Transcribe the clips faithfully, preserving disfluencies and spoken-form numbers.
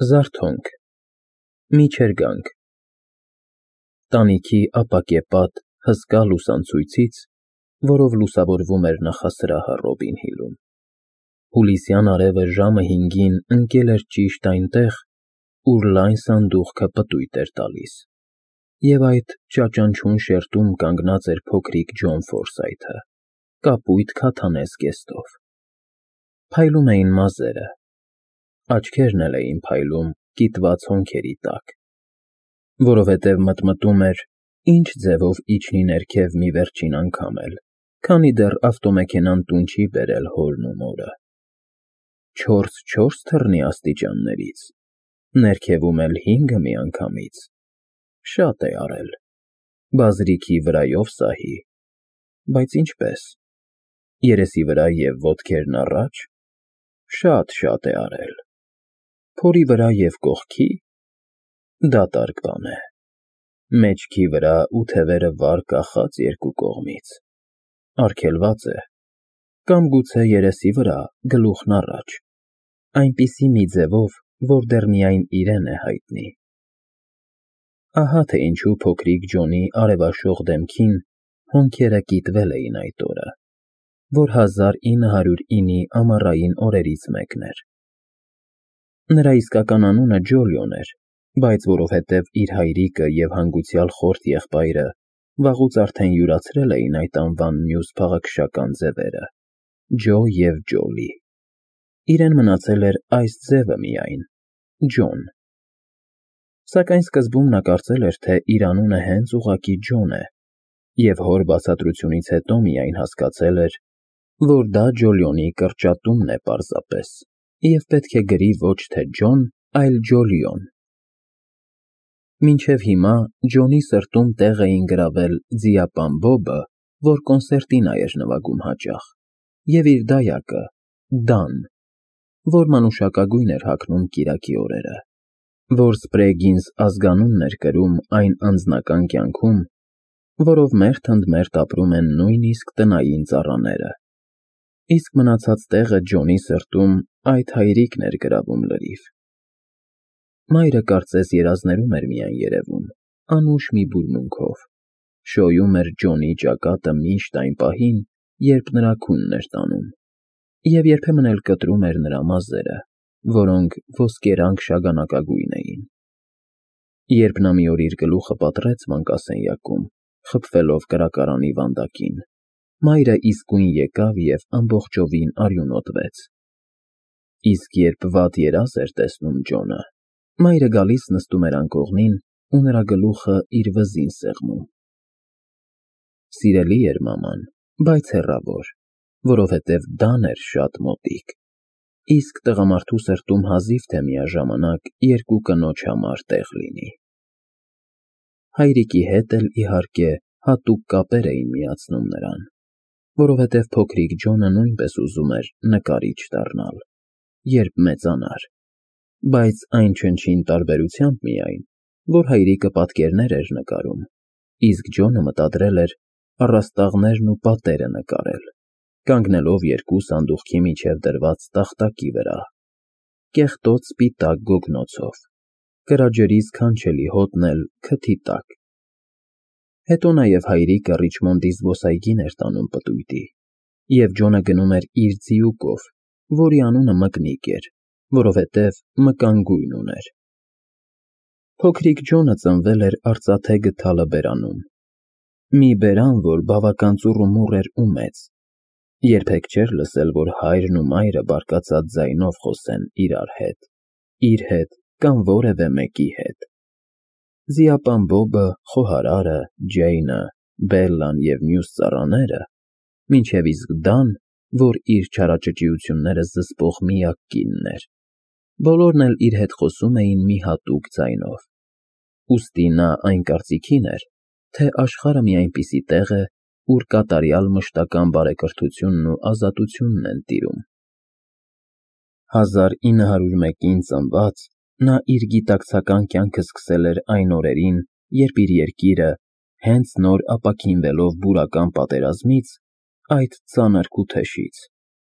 Զարթոնք, միջերգանք, տանիքի ապակեպատ հսկա լուսանցույցից, որով լուսավորվում էր նախասրահը Ռոբին Հիլում, հուլիսյան արևը ժամը հինգին ընկել էր ճիշտ այնտեղ, ուր լայն սանդուղքը պտույտ էր տալիս, և այդ ճաճանչուն շերտում կանգնած էր փոքրիկ Ջոն Ֆորսայթը, կապույտ քաթանե զգեստով, փայլում էին մազերը, աչքերն էլ էին փայլում կիտված հոնքերի տակ, որովհետև մտմտում էր, ինչ ձևով իջնի ներքև մի վերջին անգամ էլ, քանի դեռ ավտոմեքենան տուն չի բերել հորն ու մորը, չորս֊չորս թռնի աստիճաններից, ներքևում էլ հինգը միանգամից, շատ է արել, բազրիքի վրայով սահի, բայց ինչպե՞ս, երեսի վրա և ոտքերն առաջ, շատ֊շատ է արել, փորի վրա և կողքի, դատարկ բան է, մեջքի վրա ու թևերը վար կախած երկու կողմից, արգելված է, կամ գուցե երեսի վրա, գլուխն առաջ, այնպիսի մի ձևով, որ դեռ միայն իրեն է հայտնի, ահա թե ինչու փոքրիկ Ջոնի արևաշող դեմքին հոնքերը կիտվել էին այդ օրը, որ հազար ինը հարյուր ինի ամառային օրերից մեկն էր, նրա իսկական անունը Ջոլիոն էր, բայց որովհետև իր հայրիկը և հանգուցյալ խորթ եղբայրը վաղուց արդեն յուրացրել էին այդ անվան մյուս փաղաքշական ձևերը, Ջո և Ջոլի, իրեն մնացել էր այս ձևը միայն, Ջոն, սակայն սկզբում նա կարծել էր, թե իր անունը հենց ուղղակի Ջոն է, և հոր բացատրությունից հետո միայն հասկացել էր, որ դա Ջոլիոնի կրճատումն է պարզապես, և պետք է գրի ոչ թե Ջոն, այլ Ջոլիոն, մինչև հիմա Ջոնի սրտում տեղ էին գրավել ձիապան Բոբը, որ կոնցերտինա էր նվագում հաճախ, և իր դայակը, Դան, որ մանուշակագույն էր հագնում կիրակի օրերը, որ Սպրեգինս ազգանունն էր կրում այն անձնական կյանքում, որով մերթ ընդ մերթ ապրում են նույնիսկ տնային ծառաները, իսկ մնացած տեղը Ջոնի սրտում այդ հայրիկն էր գրավում լրիվ, մայրը կարծես երազներում էր միայն երևում, անուշ մի բուրմունքով, շոյում էր Ջոնի ճակատը միշտ այն պահին, երբ նրա քունն էր տանում, և երբեմն էլ կտրում էր նրա մազերը, որոնք ոսկերանք շագանակագույն էին, երբ նա մի օր իր գլուխը պատռեց մանկասենյակում, խփվելով կրակարանի վանդակին, մայրը իսկույն եկավ և ամբողջովին արյունոտվեց, իսկ երբ վատ երազ էր տեսնում Ջոնը, մայրը գալիս նստում էր անկողնին ու նրա գլուխը իր վզին սեղմում, սիրելի էր մաման, բայց հեռավոր, որովհետև Դան էր շատ մոտիկ, իսկ տղամարդու սրտում հազիվ թե միաժամանակ երկու կնոջ համար տեղ լինի, հայրիկի հետ էլ, իհարկե, հատուկ կապեր էին միացնում նրան, որովհետև փոքրիկ Ջոնը նույնպես ուզում էր նկարիչ դառնալ, երբ մեծանար, բայց այն չնչին տարբերությամբ միայն, որ հայրիկը պատկերներ էր նկարում, իսկ Ջոնը մտադրել էր առաստաղներն ու պատերը նկարել, կանգնելով երկու սանդուղքի միջև դրված տախտակի վրա, կեղտոտ սպիտակ գոգնոցով, կրաջրի սքանչելի հոտն էլ քթի տակ, հետո նաև հայրիկը Ռիչմոնդի զբոսայգին էր տանում պտույտի, և Ջոնը գնում էր իր ձիուկով, որի անունը Մկնիկ էր, որովհետև մկան գույն ուներ, փոքրիկ Ջոնը ծնվել էր արծաթե գդալը բերանում, մի բերան, որ բավական ծուռումուռ էր ու մեծ, երբեք չէր լսել, որ հայրն ու մայրը բարկացած ձայնով խոսեն իրար հետ, իր հետ կամ որևէ մեկի հետ, ձիապան Բոբը, խոհարարը, Ջեյնը, Բելլան և մյուս ծառաները, մինչև իսկ Դան, որ իր չարաճճիությունները զսպող միակ կինն էր, բոլորն էլ իր հետ խոսում էին մի հատուկ ձայնով, ուստի նա այն կարծիքին էր, թե աշխարհը մի այնպիսի տեղ է, ուր կատարյալ մշտական բարեկրթությունն ու ազատությունն են տիրում, հազար ինը հարյուր մեկին ծնված, նա իր գիտակցական կյանքը սկսել էր այն օրերին, երբ իր երկիրը, հենց նոր ապաքինվելով բուրական պատերազմից, այդ ծանր քութեշից,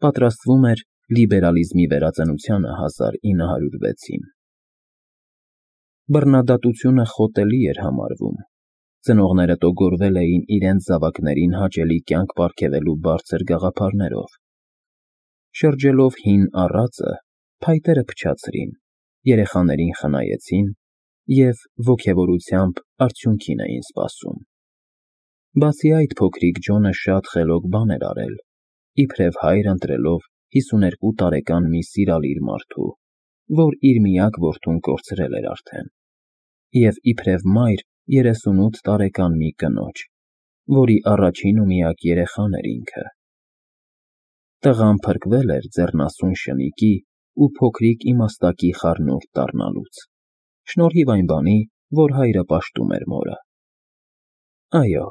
պատրաստվում էր լիբերալիզմի վերածնությանը հազար ինը հարյուր վեցին, Բռնադատությունը խոտելի էր համարվում, ծնողները տոգորվել էին իրենց զավակներին հաճելի կյանք պարգևելու բարձր գաղափարներով։ Շրջելով հին առածը, փայտերը փչացրին, երեխաներին խնայեցին և ոգևորությամբ արդյունքին էին սպասում։ Բացի այդ, փոքրիկ Ջոնը շատ խելոք բան էր արել, իբրև հայր ընտրելով հիսուներկու տարեկան մի սիրալիր մարդու, որ իր միակ որդուն կորցրել էր արդեն, և իբրև մայր երեսունութ տարեկան մի կնոջ, որի առաջին ու միակ երեխան էր ինքը։ Տղան փրկվել էր ձեռնասուն շնիկի ու փոքրիկ իմաստակի խառնուրդ դառնալուց, շնորհիվ այն բանի, որ հայրը պաշտում էր մորը։ Այո,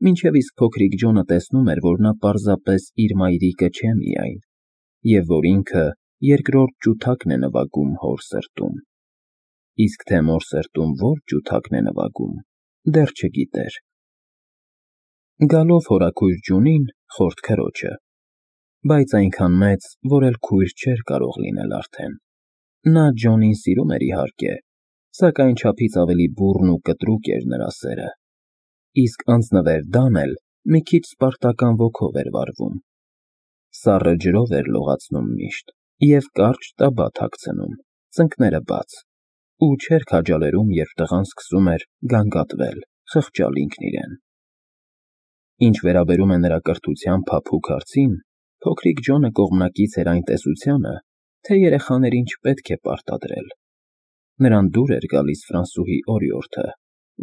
մինչև իսկ փոքրիկ Ջոնը տեսնում էր, որ նա պարզապես իր մայրիկը չէ միայն, և որ ինքը երկրորդ ջութակն է նվագում հոր սրտում, իսկ թե մոր սրտում որ ջութակն է նվագում, դեռ չգիտեր։ Գալով հորաքույր Ջունին, խորթ քրոջը, բայց այնքան մեծ, որ էլ քույր չէր կարող լինել արդեն, նա Ջոնին սիրում էր իհարկե, սակայն չափից ավելի բուռն ու կտրուկ էր նրա սերը, իսկ անձնվեր Դան էլ մի քիչ սպարտական ոգով էր վարվում, սառը ջրով էր լողացնում միշտ և կարճ տաբատ հագցնում, ծնկները բաց, ու չէր քաջալերում, երբ տղան սկսում էր գանգատվել, խղճալ ինքն իրեն։ Ինչ վերաբերում է նրա կրթության փափուկ հարցին, փոքրիկ Ջոնը կողմնակից էր այն տեսությանը, թե երեխաներին չպետք է պարտադրել։ Նրան դուր էր գալիս Ֆրանսուհի օրիորդը,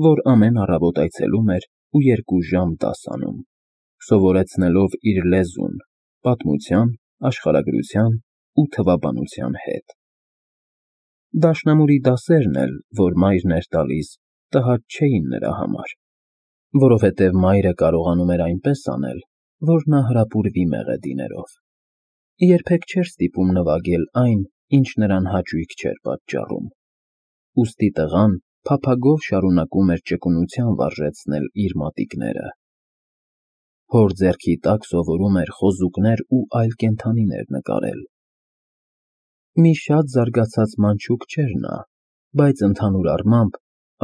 որ ամեն առավոտ այցելում էր ու երկու ժամ դաս անում, սովորեցնելով իր լեզուն պատմության, աշխարհագրության ու թվաբանության հետ։ Դաշնամուրի դասերն էլ, որ մայրն էր տալիս, տհաճ չէին նրա համար, որովհետև մայրը կարողանում էր այնպես անել, որ նա հրապուրվի մեղեդիներով։ Երբեք չէր ստիպում նվագել այն, ինչ նրան հաճույք չէր պատճառում, ուստի տղան փափագով շարունակում էր ճկունության վարժեցնել իր մատիկները։ Հոր ձեռքի տակ սովորում էր խոզուկներ ու այլ կենդանիներ նկարել։ Մի շատ զարգացած մանչուկ չէր նա, բայց ընդհանուր առմամբ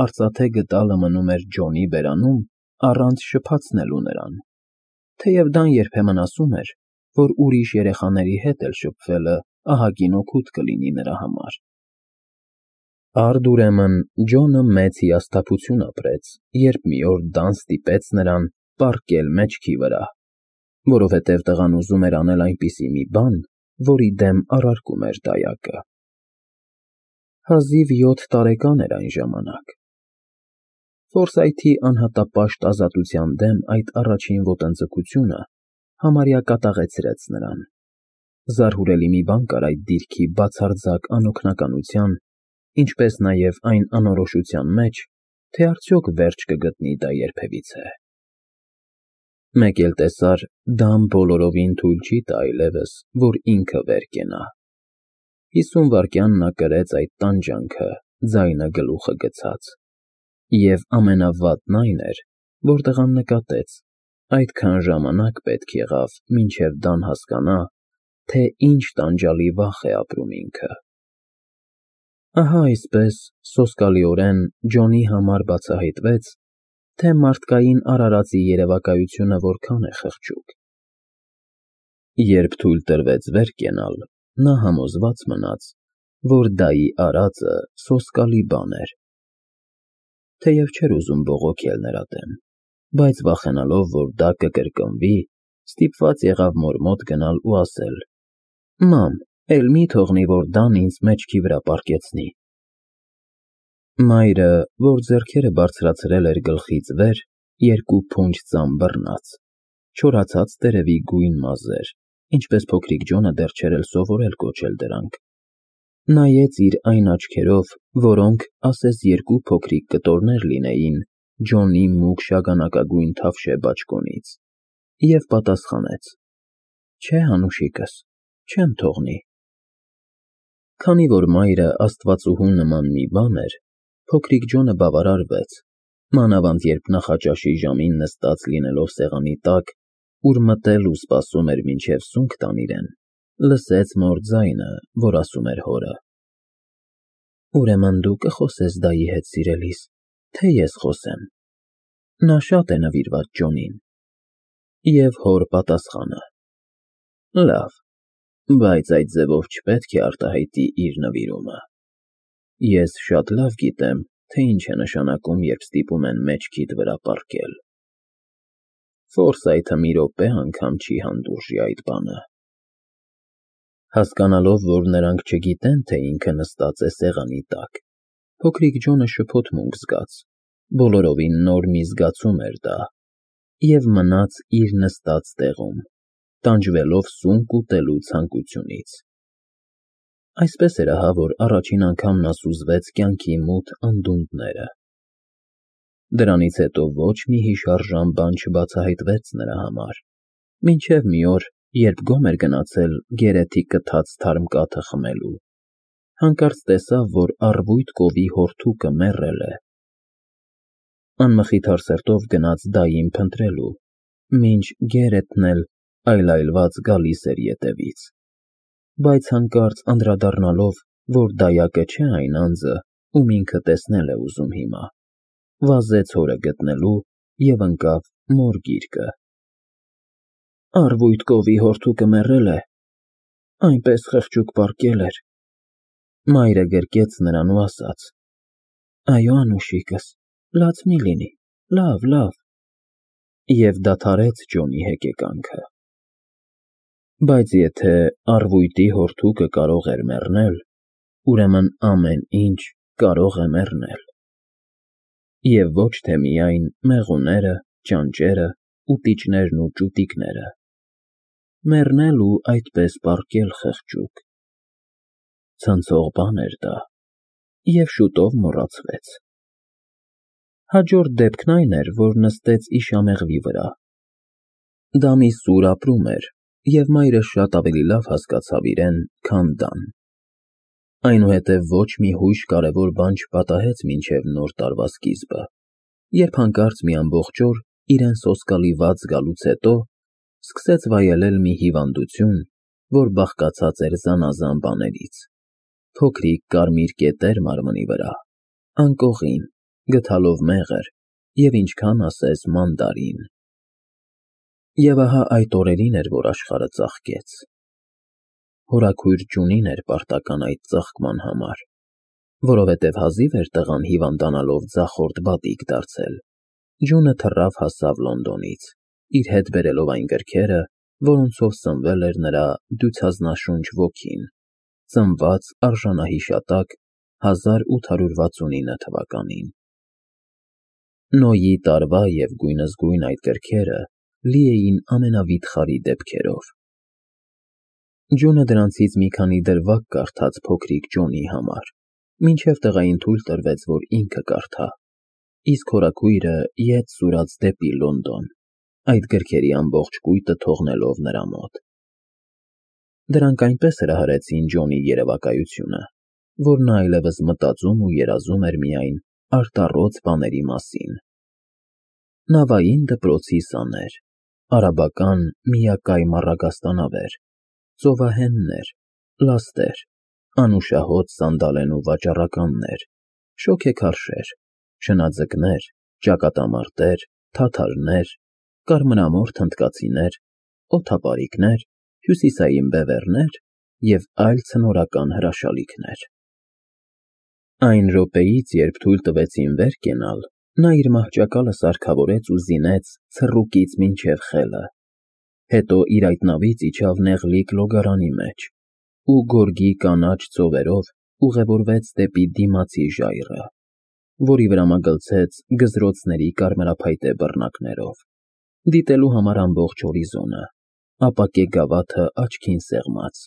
արծաթե գդալը մնում էր Ջոնի բերանում առանց շփացնելու նրան, թեև Դան երբեմն ասում էր, որ ուրիշ երեխաների հետ էլ շփվելը ահագին օգուտ կլինի նրա համար։ Արդ ուրեմն Ջոնը մեծ հիասթափություն ապրեց, երբ մի օր Դան ստիպեց նրան պառկել մեջքի վրա, որովհետև տղան ուզում էր անել այնպիսի մի բան, որի դեմ առարկում էր դայակը։ Հազիվ յոթ տարեկան էր այն ժամանակ։ Ֆորսայթի անհատապաշտ ազատության դեմ այդ առաջին ոտնձգությունը համարյա կատաղեցրեց նրան։ Զարհուրելի մի բան կար այդ դիրքի բացարձակ անօգնականության, ինչպես նաև այն անորոշության մեջ, թե արդյոք վերջ կգտնի դա երբևիցե։ Մեկ էլ տեսար, Դան բոլորովին թույլ չի տա այլևս, որ ինքը վեր կենա։ Հիսուն վայրկյան նա կրեց այդ տանջանքը, ձայնը գլուխը գցած, և ամենավատն այն էր, որ տղան նկատեց, այդքան ժամանակ պետք եղավ, մինչև Դան հասկանա, թե ինչ տանջալի վախ է ապրում ինքը։ Ահա այսպես, սոսկալիորեն Ջոնի համար բացահայտվեց, թե մարդկային արարածի երևակայությունը որքան է խղճուկ։ Երբ թույլ տրվեց վեր կենալ, նա համոզված մնաց, որ դայի արածը սոսկալի բան էր։ Թեև չէր ուզում բողոքել նրա դեմ, բայց վախենալով, որ դա կկրկնվի, ստիպված եղավ մոր մոտ գնալ ու ասել. «Մամ, էլ մի թողնի, որ Դան ինձ մեջքի վրա պառկեցնի»։ Մայրը, որ ձեռքերը բարձրացրել էր գլխից վեր, երկու փունջ ծամ բռնած, չորացած տերևի գույն մազեր, ինչպես փոքրիկ Ջոնը դեռ չէր էլ սովորել կոչել դրանք, նայեց իր այն աչքերով, որոնք ասես երկու փոքրիկ կտորներ լինեին Ջոնի մուգ շագանակագույն թավշե բաճկոնից, և պատասխանեց. «Չէ, անուշիկս, չեմ թողնի»։ Քանի որ մայրը աստվածուհու նման մի բան էր, փոքրիկ Ջոնը բավարարվեց, մանավանդ երբ նախաճաշի ժամին նստած լինելով սեղանի տակ, ուր մտել ու սպասում էր մինչև սունկ տան իրեն, լսեց մոր ձայնը, որ ասում էր հորը. Ուրեմն դու կխոսես դայի հետ, սիրելիս, թե ես խոսեմ։ Նա շատ է նվիրված Ջոնին։ Եվ հոր պատասխանը. Լավ, բայց այդ ձևով չպետք է արտահայտի իր նվիրումը։ Ես շատ լավ գիտեմ, թե ինչ է նշանակում, երբ ստիպում են մեջքիդ վրա պառկել։ Ֆորսայթը մի րոպե անգամ չի հանդուրժի այդ բանը։ Հասկանալով, որ նրանք չգիտեն, թե ինքը նստած է սեղանի տակ, փոքրիկ Ջոնը շփոթմունք զգաց, բոլորովին նոր մի զգացում էր դա, և մնաց իր նստած տեղում, տանջվելով սունկ ուտելու ցանկությունից։ Այսպես էր ահա, որ առաջին անգամ նա սուզվեց կյանքի մութ անդունդները։ Դրանից հետո ոչ մի հիշարժան բան չբացահայտվեց նրա համար, մինչև մի օր, երբ գոմ էր գնացել գերեթի կթած թարմ կաթը խմելու, հանկարծ տեսավ, որ առվույթ կովի հորթուկը մեռել է։ Անմխիթար սրտով գնաց դային փնտրելու, մինչ Գերեթն էլ այլայլված գալիս էր ետևից, բայց հանկարծ անդրադառնալով, որ դայակը չէ այն անձը, ում ինքը տեսնել է ուզում հիմա, վազեց հորը գտնելու և ընկավ մոր գիրկը։ Առվույթ կովի հորթուկը մեռել է, այնպես խղճուկ պառկել էր։ Մայրը գրկեց նրան ու ասաց. Այո, անուշիկս, լաց մի լինի, լավ, լավ, և դադարեց Ջոնի հեկեկանքը։ Բայց եթե առվույտի հորթուկը կարող էր մեռնել, ուրեմն ամեն ինչ կարող է մեռնել։ Եվ ոչ թե միայն մեղուները, ճանճերը, ուտիչներն ու ճուտիկները, մեռնել ու այդպես պառկել խղճուկ։ Ցնցող բան էր դա, և շուտով մոռացվեց։ Հաջորդ դեպքն այն էր, որ նստեց իշամեղվի վրա։ Դա մի սուր ապրում էր, և մայրը շատ ավելի լավ հասկացավ իրեն, քան դան։ Այնուհետև ոչ մի հույժ կարևոր բան չպատահեց մինչև նոր տարվա սկիզբը, երբ հանկարծ մի ամբողջ օր, իրեն սոսկալի վատ զգալուց հետո, սկսեց վայելել մի հիվանդություն, որ բաղկացած էր զանազան բաներից, փոքրիկ կարմիր կետեր մարմնի վրա, անկողին, գդալով մեղր և ինչքան ասես մանդարին։ Եվ ահա այդ օրերին էր, որ աշխարհը ծաղկեց։ Հորաքույր Ջունին էր պարտական այդ ծաղկման համար, որովհետև հազիվ էր տղան հիվանդանալով ձախորդ բադիկ դարձել, Ջունը թռավ հասավ Լոնդոնից, իր հետ բերելով այն գրքերը, որոնցով սնվել էր նրա դյուցազնաշունչ ոգին, ծնված արժանահիշատակ հազար ութ հարյուր վաթսունինը թվականին։ Նոյի տարվա և գույնզգույն այդ գրքերը լի էին ամենավիթխարի դեպքերով։ Ջունը դրանցից մի քանի դրվագ կարդաց փոքրիկ Ջոնի համար, մինչև տղային թույլ տրվեց, որ ինքը կարդա, իսկ հորաքույրը ետ սուրաց դեպի Լոնդոն, այդ գրքերի ամբողջ կույտը թողնելով նրա մոտ։ Դրանք այնպես հրահրեցին Ջոնի երևակայությունը, որ նա այլևս մտածում ու երազում էր միայն արտառոց բաների մասին։ Նավային դպրոցի սաներ, արաբական միակայմ առագաստանավեր, ծովահեններ, լաստեր, անուշահոտ սանդալեն ու վաճառականներ, շոգեքարշեր, շնաձկներ, ճակատամարտեր, թաթարներ, կարմրամորթ հնդկացիներ, օդապարիկներ, հյուսիսային բևեռներ և այլ ցնորական հրաշալիքներ։ Այն րոպեից, երբ թույլ տվեցին վեր կենալ, նա իր մահճակալը սարքավորեց ու զինեց ցռուկից մինչև խելը, հետո իր այտնավից իջավ նեղլիկ լոգարանի մեջ ու գորգի կանաչ ծովերով ուղևորվեց դեպի դիմացի ժայռը, որի վրա մագլցեց գզրոցների կարմրափայտե բռնակներով, դիտելու համար ամբողջ հորիզոնը, ապակե գավաթը աչքին սեղմած,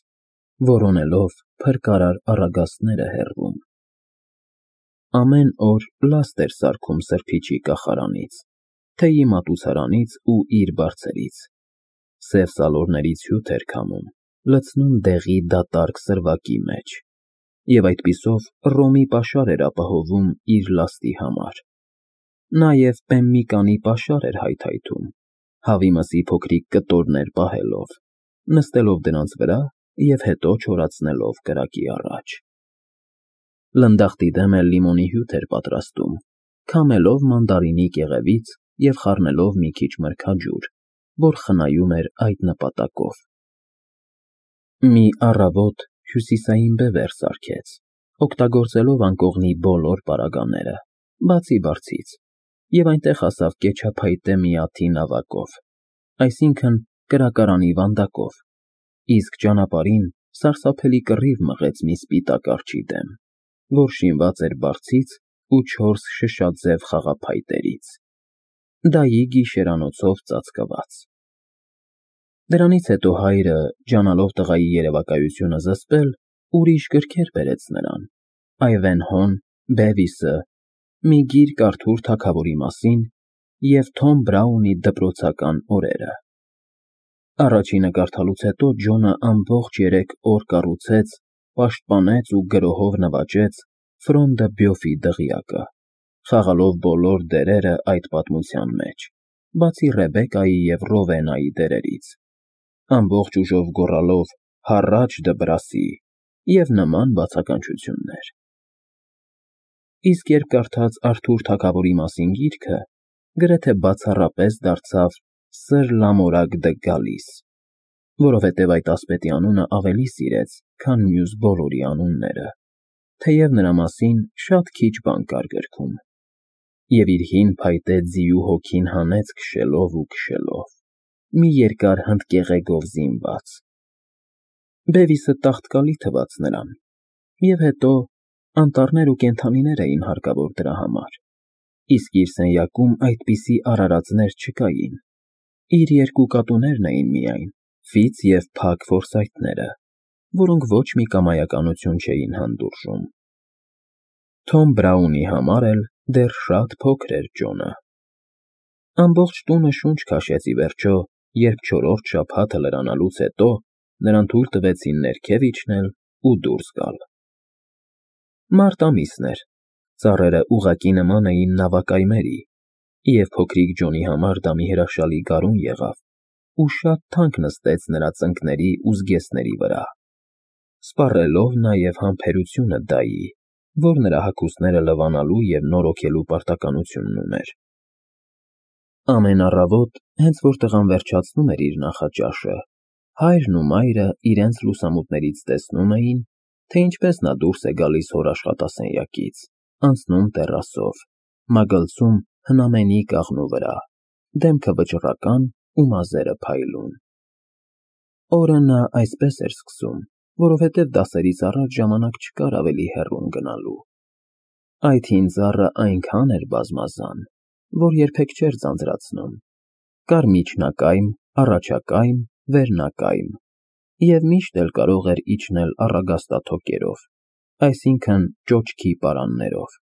որոնելով փրկարար առագաստները հեռվում։ Ամեն օր լաստ էր սարքում սրբիչի կախարանից, թեյի մատուցարանից ու իր բարձերից, սև սալորներից հյութ էր քամում, լցնում դեղի դատարկ սրվակի մեջ, և այդպիսով ռոմի պաշար էր ապահովում իր լաստի համար։ Նաև պեմմիկանի պաշար էր հայթայթում, հավի մսի փոքրիկ կտորներ պահելով, նստելով դրանց վրա և հետո չորացնելով կրակի առաջ։ Լնդախտի դեմ էլ լիմոնի հյութ էր պատրաստում, քամելով մանդարինի կեղևից և խառնելով մի քիչ մրգաջուր, որ խնայում էր այդ նպատակով։ Մի առավոտ հյուսիսային բևեռ սարքեց, օգտագործելով անկողնի բոլոր պարագաները, բացի բարձից, և այնտեղ հասավ կեչափայտե մի աթի նավակով, այսինքն՝ կրակարանի վանդակով, իսկ ճանապարհին սարսափելի կռիվ մղեց մի սպիտակ արջի դեմ, որ շինված էր բարձից ու չորս շշաձև խաղափայտերից, դայի գիշերանոցով ծածկված։ Դրանից հետո հայրը, ջանալով տղայի երևակայությունը զսպել, ուրիշ գրքեր բերեց նրան. Այվենհոն, Բևիսը, մի գիրք Արթուր թագավորի մասին և Թոմ Բրաունի դպրոցական օրերը։ Առաջինը կարդալուց հետո Ջոնը ամբողջ երեք օր կառուցեց, պաշտպանեց ու գրոհով նվաճեց Ֆրոնդը Բյոֆի դղյակը, խաղալով բոլոր դերերը այդ պատմության մեջ, բացի Ռեբեկայի և Ռովենայի դերերից, ամբողջ ուժով գոռալով «Հառաչ դպրասի» և նման բացականչություններ։ Իսկ երբ կարդաց Արթուր թագավորի մասին գիրքը, գրեթե բացառապես դարձավ Սր Լամորակ դը Գալիս, որովհետև այդ ասպետի անունը ավելի սիրեց, քան մյուս բոլորի անունները, թեև նրա մասին շատ քիչ բան կար գրքում, և իր հին փայտե ձիու հոգին հանեց քշելով ու քշելով, մի երկար հնդկեղեգով զինված։ Բևիսը տաղտկալի թվաց նրան, և հետո անտառներ ու կենդանիներ էին հարկավոր դրա համար, իսկ իր սենյակում այդպիսի արարածներ չկային, իր երկու կատուներն էին միայն, Ֆիծ և Փագ Ֆորսայթները, որոնք ոչ մի կամայականություն չէին հանդուրժում։ Թոմ Բրաունի համար էլ դեռ շատ փոքր էր Ջոնը։ Ամբողջ տունը շունչ քաշեց ի վերջո, երբ չորրորդ շաբաթը լրանալուց հետո նրան թույլ տվեցին ներքև իջնել ու դուրս գալ։ Մարտ ամիսն էր, ծառերը ուղղակի նման էին նավակայմերի, և փոքրիկ Ջոնի համար դա մի հրաշալի գարուն եղավ ու շատ թանկ նստեց նրա ծնկների ու զգեստների վրա, սպառելով նաև համբերությունը դայի, որ նրա հագուստները լվանալու և նորոգելու պարտականությունն ուներ։ Ամեն առավոտ, հենց որ տղան վերջացնում էր իր նախաճաշը, հայրն ու մայրը իրենց լուսամուտներից տեսնում էին, թե ինչպես նա դուրս է գալիս հոր աշխատասենյակից, անցնում տեռասով, մագլցում հնամենի կաղնու վրա, դեմքը վճռական ու մազերը փայլուն։ Օրը նա այսպես էր սկսում, որովհետև դասերից առաջ ժամանակ չկար ավելի հեռուն գնալու։ Այդ հին ծառը այնքան էր բազմազան, որ երբեք չէր ձանձրացնում. կար միջնակայմ, առաջակայմ, վերնակայմ, և միշտ էլ կարող էր իջնել առագաստաթոկերով, այսինքն՝ ճոճքի պարաններով։